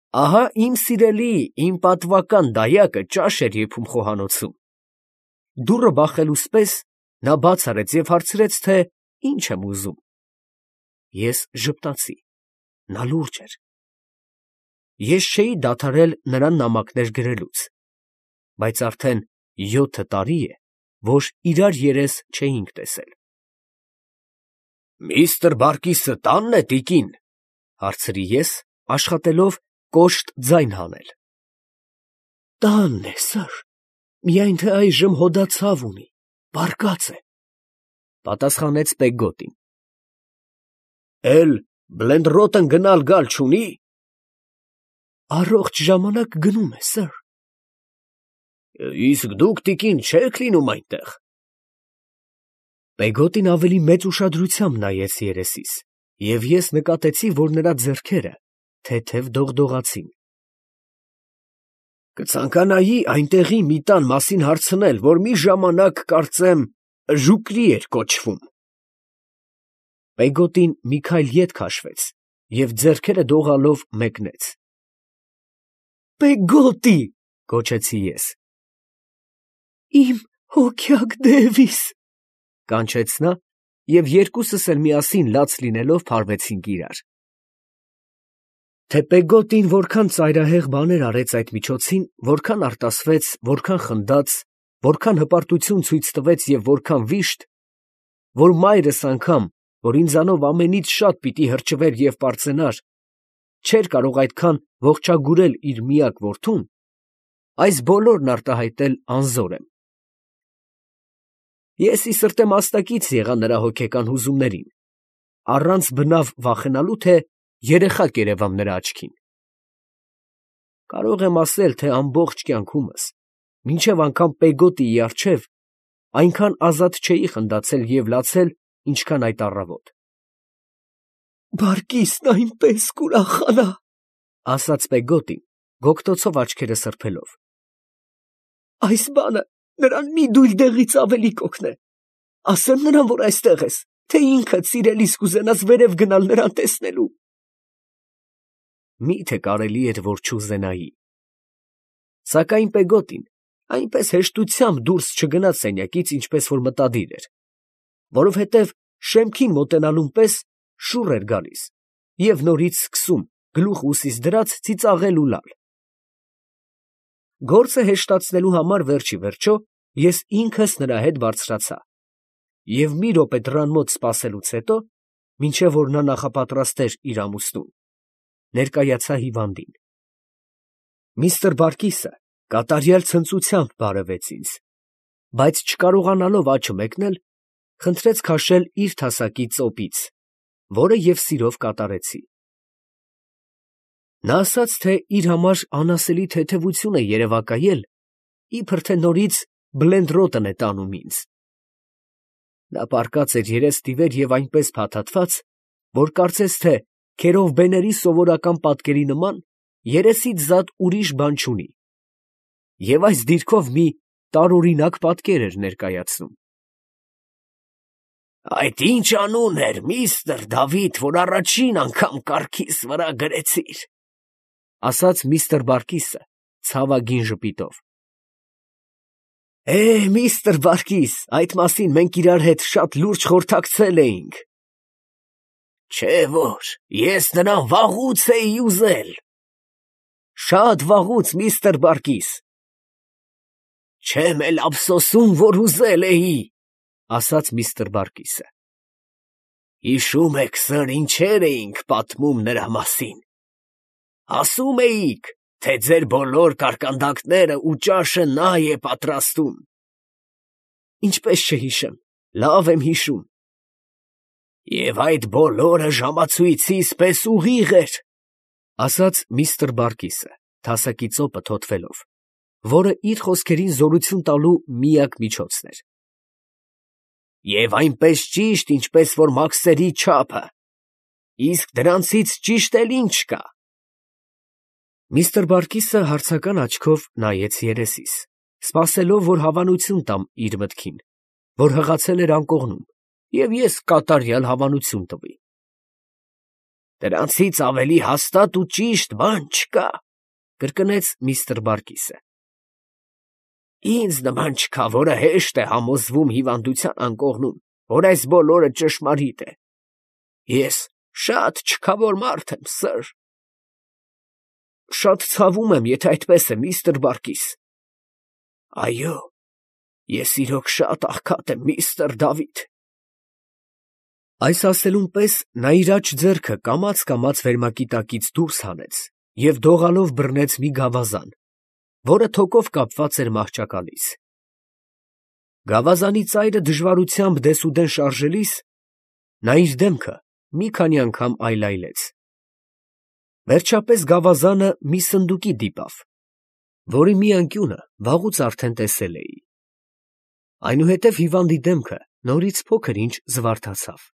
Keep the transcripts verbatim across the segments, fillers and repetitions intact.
Ահա իմ սիրելի, իմ պատվական դայակը ճաշ էր եփում խոհանոցում։ Դուռը բախելուց պես նա բաց արեց և հարցրեց, թե ինչ եմ ուզում։ Ես ժպտացի. նա լուրջ էր։ Ես չէի դադարել նրան նամակներ գրելուց, բայց արդեն յոթ տարի է, որ իրար երես չէինք տեսել։ «Միստր Բարկիսը տա՞նն է, տիկին», ֊ հարցրի ես, աշխատելով կոշտ ձայն հանել։ «Տանն է, սըր, միայն թե այժմ հոդացավ ունի, պառկած է», ֊ պատասխանեց Պեգգոտին։ «Էլ Բլենդրոտն գնալ֊գալ չունի՞։ Առողջ ժամանակ գնում է, սըր։ Իսկ դուք, տիկին, չե՞ք լինում այնտեղ։ Պեգոտին ավելի մեծ ուշադրությամբ նայեց երեսիս, և ես նկատեցի, որ նրա ձեռքերը թեթև դողդողացին։ Կցանկանայի այնտեղի մի տան մասին հարցնել, որ մի ժամանակ, կարծեմ, Ժուկլի էր կոչվում։ Պեգոտին մի քայլ ետ քաշվեց և ձեռքերը դողալով մեկնեց։ Պեգոտի, ֊ գոչեցի ես։ Իմ հոգյակ Դևիս, ֊ կանչեց նա, և երկուսս էլ միասին լաց լինելով փարվեցինք իրար։ Թե Պեգոտին որքան ծայրահեղ բաներ արեց այդ միջոցին, որքան արտասվեց, որքան խնդաց, որքան հպարտություն ցույց տվեց և որքան վիշտ, որ մայրս անգամ, որ ինձանով ամենից շատ պիտի հրճվեր և պարծենար, չէր կարող այդքան ողջագուրել իր միակ որդուն, այս բոլորն արտահայտել անզոր եմ։ Ես ի սրտե մասնակից եղա նրա հոգեկան հուզումներին, առանց բնավ վախենալու, թե երեխա կերևամ նրա աչքին։ Կարող եմ ասել, թե ամբողջ կյանքումս, մինչև անգամ Պեգոտիի առջև, այնքան ազատ չէի խնդացել և լացել, ինչքան այդ առավոտ։ Բարկիսն այնպես կուրախանա, ֊ ասաց Պեգոտին, գոգտոցով աչքերը սրբելով։ Այս բանը նրան մի դույլ դեղից ավելի կօգնե։ Ասեմ նրան, որ այստեղ ես, թե ինքդ սիրելիս կուզենաս վերև գնալ նրան տեսնելու։ Մի՞թե կարելի էր, որ չուզենայի։ Սակայն Պեգոտին այնպես հեշտությամբ դուրս չգնաց սենյակից, ինչպես որ մտադիր էր, որովհետև շեմքին մոտենալուն պես շուռ էր գալիս և նորից սկսում, գլուխը ուսիս դրած, ծիծաղել ու լալ։ Գործը հեշտացնելու համար վերջիվերջո ես ինքս նրա հետ բարձրացա և մի րոպե դռան մոտ սպասելուց հետո, մինչև որ նա նախապատրաստեր իր ամուսնուն, ներկայացա հիվանդին։ Միստր Բարկիսը կատարյալ ցնծությամբ բարևեց ինձ, բայց չկարողանալով աչը մեկնել, խնդրեց քաշել իր թասակի ծոպից, որը և սիրով կատարեցի։ Նա ասաց, թե իր համար անասելի թեթևություն է երևակայել, իբր թե նորից Բլենդրոտն է տանում ինձ։ Նա պառկած էր երես֊ստիվեր և այնպես փաթաթված, որ կարծես թե քերովբեների սովորական պատկերի նման երեսից զատ ուրիշ բան չունի, և այս դիրքով մի տարօրինակ պատկեր էր ներկայացնում։ Այդ ի՞նչ անուն էր, միստր Դավիթ, որ առաջին անգամ կառքիս վրա գրեցիր, ֊ ասաց միստր Բարկիսը ցավագին ժպիտով։ Է, միստր Բարկիս, այդ մասին մենք իրար հետ շատ լուրջ խորհրդակցել էինք։ Չէ՞ որ ես նրան վաղուց էի ուզել։ Շատ վաղուց, միստր Բարկիս։ Չեմ էլ ափսոսում, որ ուզել էի, ֊ ասաց միստր Բարկիսը։ Հիշում եք, սըր, ինչեր էինք պատմում նրա մասին։ Ասում էիք, թե ձեր բոլոր կարկանդակները ու ճաշը նա է պատրաստում։ Ինչպես չհիշեմ, լավ եմ հիշում։ Եվ այդ բոլորը ժամացույցիս պես ուղիղ էր, ֊ ասաց միստր Բարկիսը, թասակի ծոպը թոթվելով, որը իր խոսքերին զորություն տալու միակ միջոցն էր։ Եվ այնպես ճիշտ, ինչպես որ մաքսերի չափը, իսկ դրանցից ճիշտ էլ ինչ կա։ Միստր Բարկիսը հարցական աչքով նայեց երեսիս, սպասելով, որ հավանություն տամ իր մտքին, որ հղացել էր անկողնում, և ես կատարյալ հավանություն տվի։ Դրանցից ավելի հաստատ ու ճիշտ բան չկա, կրկնեց միստր Բարկիսը։ Ինձ նման չկա, որը հեշտ է համոզվում հիվանդության անկողնում, որ այս բոլորը ճշմարիտ է։ Ես շատ չքավոր մարդ եմ, սըր։ Շատ ցավում եմ, եթե այդպես է, միստր Բարկիս։ Այո, ես իրոք շատ աղքատ եմ, միստր Դավիթ։ Այս ասելուն պես նա իր աջ ձեռքը կամաց-կամաց վերմակի տակից դուրս հանեց և դողալով բռնեց մի գավազան, որը թոկով կապված էր մահճակալից։ Գավազանի ծայրը դժվարությամբ դեսուդեն շարժելիս, նա իր դեմքը մի քանի անգամ այլայլեց։ Վերջապես գավազանը մի սնդուկի դիպավ, որի մի անկյունը վաղուց արդեն տեսել էի։ Այնուհետև հիվանդի դեմքը նորից փոքր-ինչ զվարթացավ։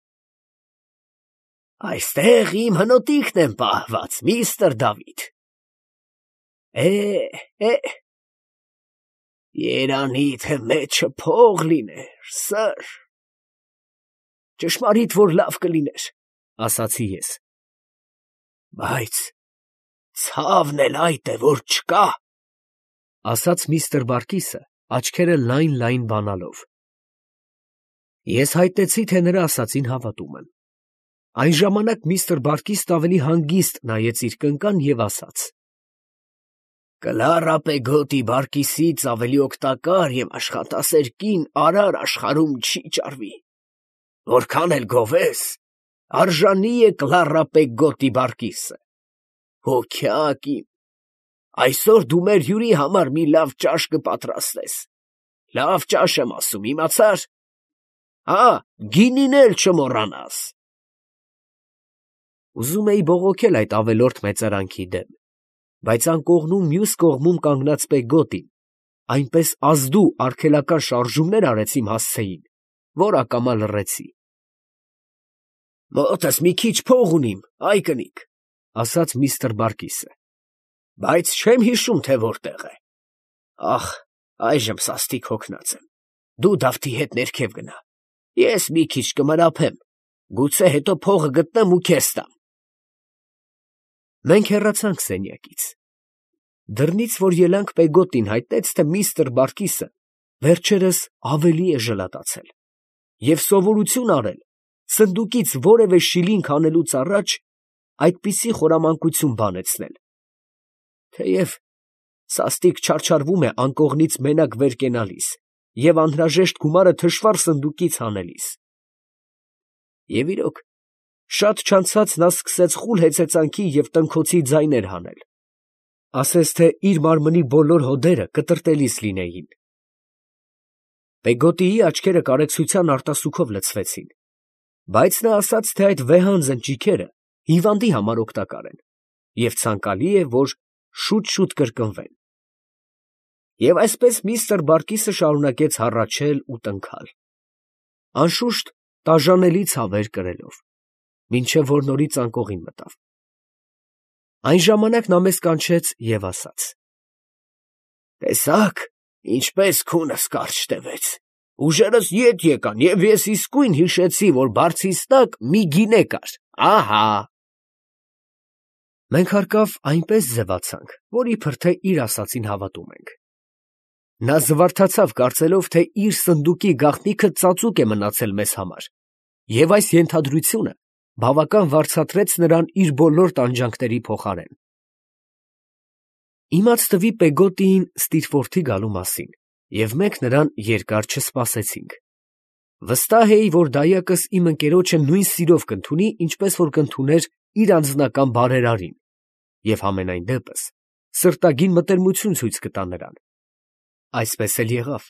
Այստեղ իմ հնոտիքն են պահված, միստր Դավիթ։ Է, է, երանի թե մեջը փող լիներ, սըր։ Ճշմարիտ որ լավ կլիներ, ասացի ես։ Բայց ցավն էլ այդ է, որ չկա, ասաց միստր Բարկիսը, աչքերը լայն֊լայն բանալով։ Ես հայտնեցի, թե նրա ասածին հավատում եմ։ Այն ժամանակ միստր Բարկիսն ավելի հանգիստ նայեց իր կնկան և ասաց. Կլարա Պեգոտի Բարկիսից ավելի օգտակար և աշխատասեր կին արար աշխարհում չի ճարվի։ Որքան էլ գովես, արժանի է Կլարա Պեգոտի Բարկիսը։ Հոգյակ իմ, այսօր դու մեր հյուրի համար մի լավ ճաշ կպատրաստես։ Լավ ճաշ եմ ասում, իմացա՞ր։ Հա, գինին էլ չմոռանաս։ Ուզում էի բողոքել այդ ավելորդ մեծարանքի դեմ, բայց անկողնում մյուս կողմում կանգնած Պեգոտին այնպես ազդու արգելական շարժումներ արեց իմ հասցեին, որ ակամա լռեցի։ Մոտս մի քիչ փող ունիմ, այ կնիկ, ասաց միստր Բարկիսը, բայց չեմ հիշում, թե որտեղ է։ Ախ, այժմ սաստիկ հոգնած եմ։ Դու Դավթի հետ ներքև գնա։ Ես մի քիչ կմրափեմ, գուցե հետո փողը գտնեմ ու քեզ տամ։ Մենք հեռացանք սենյակից։ Դռնից, որ ելանք, Պեգոտին հայտնեց, թե միստր Բարկիսը վերջերս ավելի է ժլատացել և սովորություն արել սնդուկից որևէ շիլինգ հանելուց առաջ այդպիսի խորամանկություն բանեցնել, թեև սաստիկ չարչարվում է անկողնից մենակ վեր կենալիս և անհրաժեշտ գումարը թշվառ սնդուկից հանելիս։ Եվ իրոք, շատ չանցած նա սկսեց խուլ հեծեծանքի և տնքոցի ձայներ հանել, ասես թե իր մարմնի բոլոր հոդերը կտրտելիս լինեին։ Պեգոտիի աչքերը կարեկցության արտասուքով լցվեցին, բայց նա ասաց, թե այդ վեհանձն ճիգերը հիվանդի համար օգտակար են և ցանկալի է, որ շուտ֊շուտ կրկնվեն։ Եվ այսպես միստր Բարկիսը շարունակեց հառաչել ու տնքալ, անշուշտ տաժանելի ցավեր կրելով, մինչև որ նորից անկողին մտավ։ Այն ժամանակ նա մեզ կանչեց և ասաց. Տեսա՞ք, ինչպես քունս կարճ տևեց։ Ուժերս ետ եկան, և ես իսկույն հիշեցի, որ բարձիս տակ մի գինե կար, ահա։ Մենք հարկավ այնպես ձևացանք, որ իբր թե իր ասածին հավատում ենք։ Նա զվարթացավ, կարծելով, թե իր սնդուկի գաղտնիքը ծածուկ է մնացել մեզ համար, և այս ենթադրությունը բավական վարձատրեց նրան իր բոլոր տանջանքների փոխարեն։ Իմաց տվի Պեգոտիին Ստիրֆորթի գալու մասին, և մենք նրան երկար չսպասեցինք։ Վստահ էի, որ դայակս իմ ընկերոջը նույն սիրով կընդունի, ինչպես որ կընդուներ իր անձնական բարերարին, և համենայն դեպս սրտագին մտերմություն ցույց կտա նրան։ Այսպես էլ եղավ։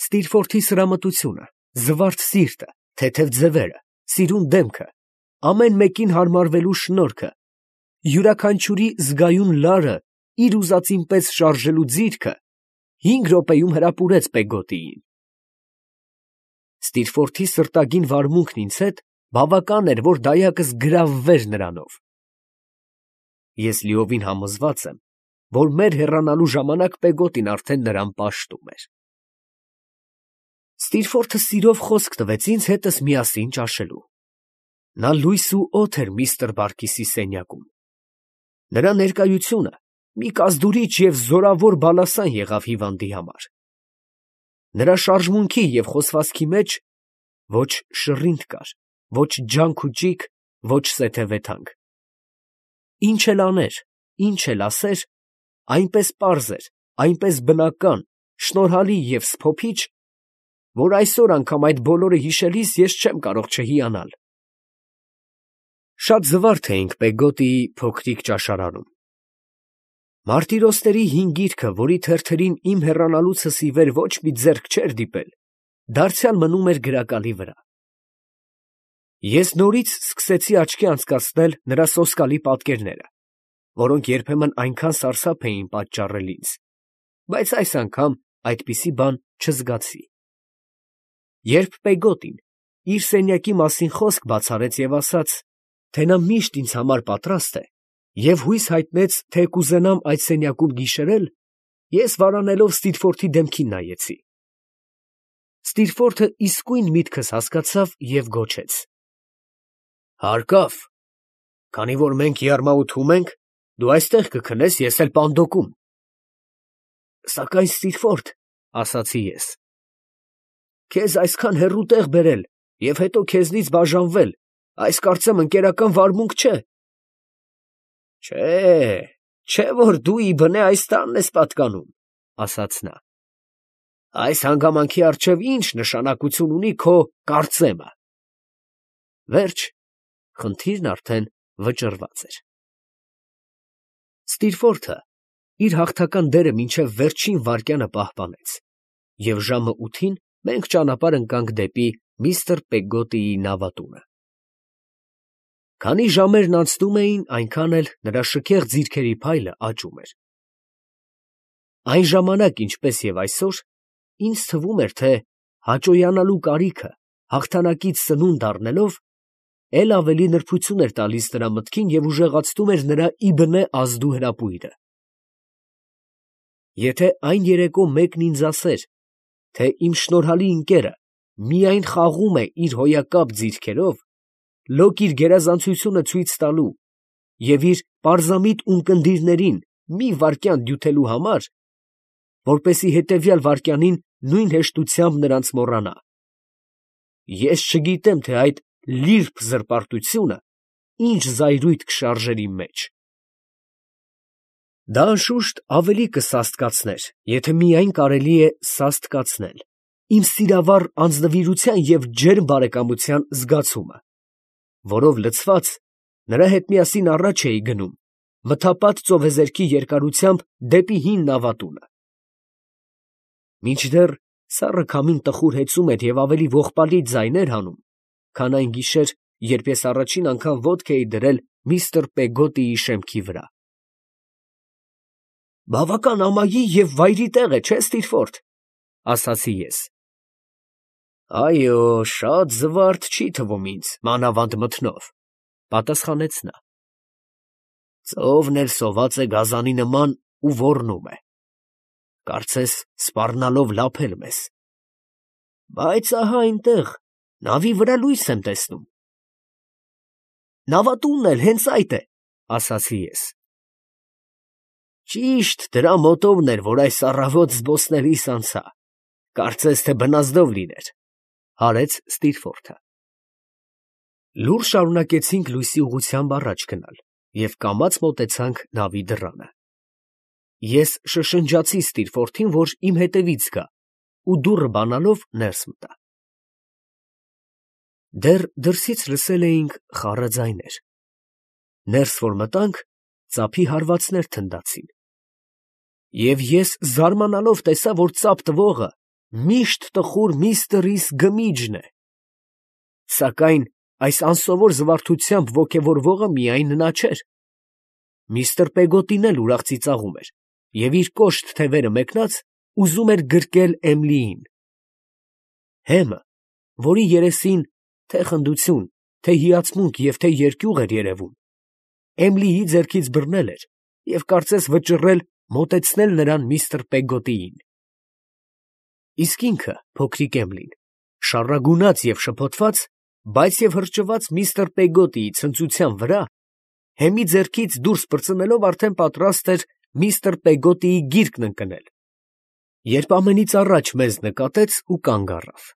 Ստիրֆորթի սրամտությունը, զվարթ սիրտը, թեթև ձևերը, սիրուն դեմքը, ամեն մեկին հարմարվելու շնորհքը, յուրաքանչյուրի զգայուն լարը իր ուզածին պես շարժելու ձիրքը հինգ րոպեում հրապուրեց Պեգոտիին։ Ստիրֆորթի սրտագին վարմունքն ինձ հետ բավական էր, որ դայակս գրավվեր նրանով։ Ես լիովին համոզված եմ, որ մեր հեռանալու ժամանակ Պեգոտին արդեն նրան պաշտում էր։ Ստիրֆորթը սիրով խոսք տվեց ինձ հետս միասին ճաշելու։ Նա լույս ու օդ էր միստր Բարկիսի սենյակում։ Նրա ներկայությունը մի կազդուրիչ և զորավոր բալասան եղավ հիվանդի համար։ Նրա շարժմունքի և խոսվածքի մեջ ոչ շռինտ կար, ոչ ջանք ու ճիգ, ոչ սեթևեթանք։ Ինչ էլ աներ, ինչ էլ ասեր, այնպես պարզ էր, այնպես բնական, շնորհալի և սփոփիչ, որ այսօր անգամ այդ բոլորը հիշելիս ես չեմ կարող չհիանալ։ Շատ զվարթ էինք Պեգոտիի փոքրիկ ճաշարանում։ Մարտիրոսների հին գիրքը, որի թերթերին իմ հեռանալուցս ի վեր ոչ մի ձեռք չէր դիպել, դարձյալ մնում էր գրակալի վրա։ Ես նորից սկսեցի աչքի անցկացնել նրա սոսկալի պատկերները, որոնք երբեմն այնքան սարսափ էին պատճառել ինձ, բայց այս անգամ այդպիսի բան չզգացի։ Երբ Պեգոտին իր սենյակի մասին խոսք բացարեց և ասաց, թե նա միշտ ինձ համար պատրաստ է, և հույս հայտնեց, թե կուզենամ այդ սենյակում գիշերել, ես վարանելով Ստիրֆորթի դեմքին նայեցի։ Ստիրֆորթը իսկույն միտքս հասկացավ և գոչեց. «Հարկավ, քանի որ մենք եռմաութում ենք, դու այստեղ կքնես, ես էլ պանդոկում»։ «Սակայն Ստիրֆորթ, ֊ ասացի ես, ֊ քեզ այսքան հեռու տեղ բերել և հետո քեզնից բաժանվել, այս կարծեմ ընկերական վարմունք չէ»։ «Չէ, չէ որ դու իբնե այս տանն ես պատկանում, ֊ ասաց նա, ֊ այս հանգամանքի առջև ի՞նչ նշանակություն ունի քո կարծեմը»։ Վերջ, խնդիրն արդեն վճռված էր։ Ստիրֆորթը իր հաղթական դերը մինչև վերջին վայրկյանը պահպանեց, և ժամը ութին մենք ճանապարհ ընկանք դեպի միստր Պեգոտիի նավատունը։ Քանի ժամերն անցնում էին, այնքան էլ նրա շքեղ ձիրքերի փայլը աճում էր։ Այն ժամանակ, ինչպես և այսօր, ինձ թվում էր, թե հաճոյանալու կարիքը հաղթանակից սնունդ առնելով, էլ ավելի նրբություն էր տալիս նրա մտքին և ուժեղացնում էր նրա իբնե ազդու հրապույրը։ Եթե այն երեկո մեկն ինձ ասեր, թե իմ շնորհալի ընկերը միայն խաղում է իր հոյակապ ձիրքերով, լոկ իր գերազանցությունը ցույց տալու և իր պարզամիտ ունկնդիրներին մի վայրկյան դյութելու համար, որպեսզի հետևյալ վայրկյանին նույն հեշտությամբ նրանց մոռանա, ես չգիտեմ, թե այդ լիրբ զրպարտությունը ինչ զայրույթ կշարժեր իմ մեջ։ Դա անշուշտ ավելի կսաստկացներ, եթե միայն կարելի է սաստկացնել, իմ սիրավառ անձնվիրության և ջերմ բարեկամության զգացումը, որով լցված նրա հետ միասին առաջ էի գնում, մթապատ ծովեզերքի երկարությամբ դեպի հին նավատունը։ Մինչդեռ սառը քամին տխուր հեծում էր և ավելի ողբալի ձայներ հանում, քան այն գիշեր, երբ ես առաջին անգամ ոտք էի դրել միստր Պեգոտիի շեմքի վրա։ «Բավական ամայի և վայրի տեղ է, չէ՞, Ստիրֆորթ, ֊ ասացի ես։ ֊ Այո, շատ զվարթ չի թվում ինձ, մանավանդ մթնով, ֊ պատասխանեց նա։ Ծովն էլ սոված է գազանի նման ու ոռնում է, կարծես սպառնալով լափել մեզ։ Բայց ահա այնտեղ, նավի վրա լույս եմ տեսնում։ Նավատունն էլ հենց այդ է, ֊ ասացի ես։ Ճիշտ դրա մոտովն էր, որ այս առավոտ զբոսնելիս անցա, կարծես թե բնազդով լիներ, ֊ հարեց Ստիրֆորթը։ Լուռ շարունակեցինք լույսի ուղղությամբ առաջ գնալ և կամաց մոտեցանք նավի դռանը։ Ես շշնջացի Ստիրֆորթին, որ իմ հետևից գա, ու դուռը բանալով ներս մտա։ Դեռ դրսից լսել էինք խառը ձայներ։ Ներս որ մտանք, ծափի հարվածներ թնդացին։ Եվ ես զարմանալով տեսա, որ ծափ տվողը միշտ տխուր միստր Ռիս Գմիջն է։ Սակայն այս անսովոր զվարթությամբ ոգևորվողը միայն նա չէր։ Միստր Պեգոտին էլ ուրախ ծիծաղում էր և իր կոշտ թևերը մեկնած ուզում էր գրկել Էմլիին։ Հեմը, որի երեսին թե՛ խնդություն, թե՛ հիացմունք և թե՛ երկյուղ էր երևում, Էմլիի ձեռքից բռնել էր և կարծես վճռել մոտեցնել նրան միստր Պեգոտիին։ Իսկ ինքը, փոքրիկ Էմլին, շառագունած և շփոթված, բայց և հրճված միստր Պեգոտիի ցնծության վրա, Հեմի ձեռքից դուրս պրծնելով արդեն պատրաստ էր միստր Պեգոտիի գիրկն ընկնել, երբ ամենից առաջ մեզ նկատեց ու կանգ առավ։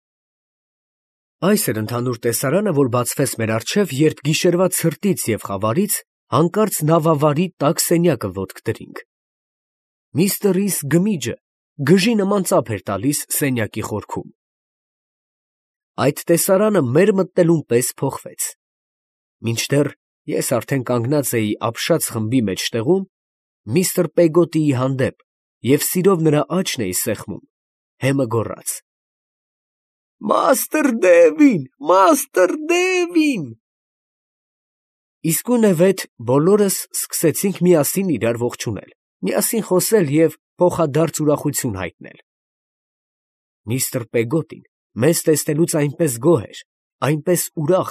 Այս էր ընդհանուր տեսարանը, որ բացվեց մեր առջև, երբ գիշերվա ցրտից և խավարից հանկարծ նավավարի տաք սենյակը ոտք դրինք։ Միստր Ռիս գմիջը գժի նման ծափ էր տալիս սենյակի խորքում։ Այդ տեսարանը մեր մտնելուն պես փոխվեց։ Մինչդեռ ես արդեն կանգնած էի ապշած խմբի մեջտեղում, միստր Պեգոտիի հանդեպ և սիրով նրա աչքն էի սեղմում, Հեմը գոռաց. «Մաստր Դևին, մաստր Դևին»։ Իսկույնևեթ բոլորս սկսեցինք միասին իրար ողջունել, միասին խոսել և փոխադարձ ուրախություն հայտնել։ Միստր Պեգոտին մեզ տեսնելուց այնպես գոհ էր, այնպես ուրախ,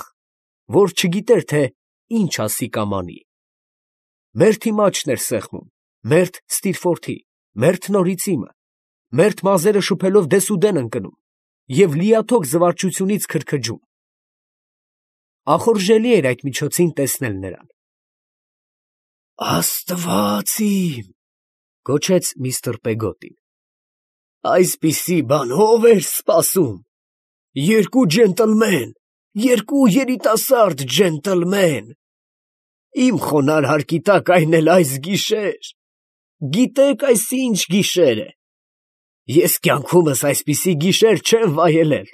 որ չգիտեր, թե ինչ ասի կամ անի։ Մերթի մաչն էր սեղմում, մերթ Ստիրֆորթի, մերթ Նորից իմը, մերթ մազերը շփելով դեսուդեն ընկնում և լիաթոք զվարճությունից քրքջում։ Ախորժելի էր այդ միջոցին տեսնել նրան։ «Աստված իմ», գոչեց միստր Պեգոտին, «այսպիսի բան ո՞վ էր սպասում։ Երկու ջենտլմեն, երկու երիտասարդ ջենտլմեն, իմ խոնարհ հարկի տակ, այն էլ այս գիշեր։ Գիտեք այս ինչ գիշեր է։ Ես կյանքումս այսպիսի գիշեր չեմ վայելել։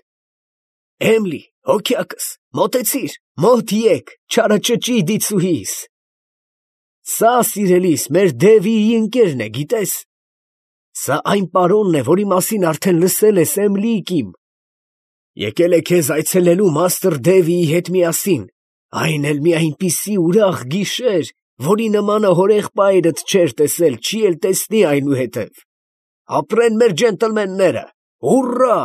Էմլի, հոգյակս, մոտեցիր, մոտ եկ, չարաճճի դիցուհիս։ Սա, սիրելիս, մեր Դևիի ընկերն է, գիտես։ Սա այն պարոնն է, որի մասին արդեն լսել ես, Էմլիկ իմ։ Եկել է քեզ այցելելու մաստր Դևիի հետ միասին, այն էլ մի այնպիսի ուրախ գիշեր, որի նմանը հորեղբայրդ չէր տեսել, չի էլ տեսնի այնուհետև։ Ապրեն մեր ջենտլմենները, հուռա։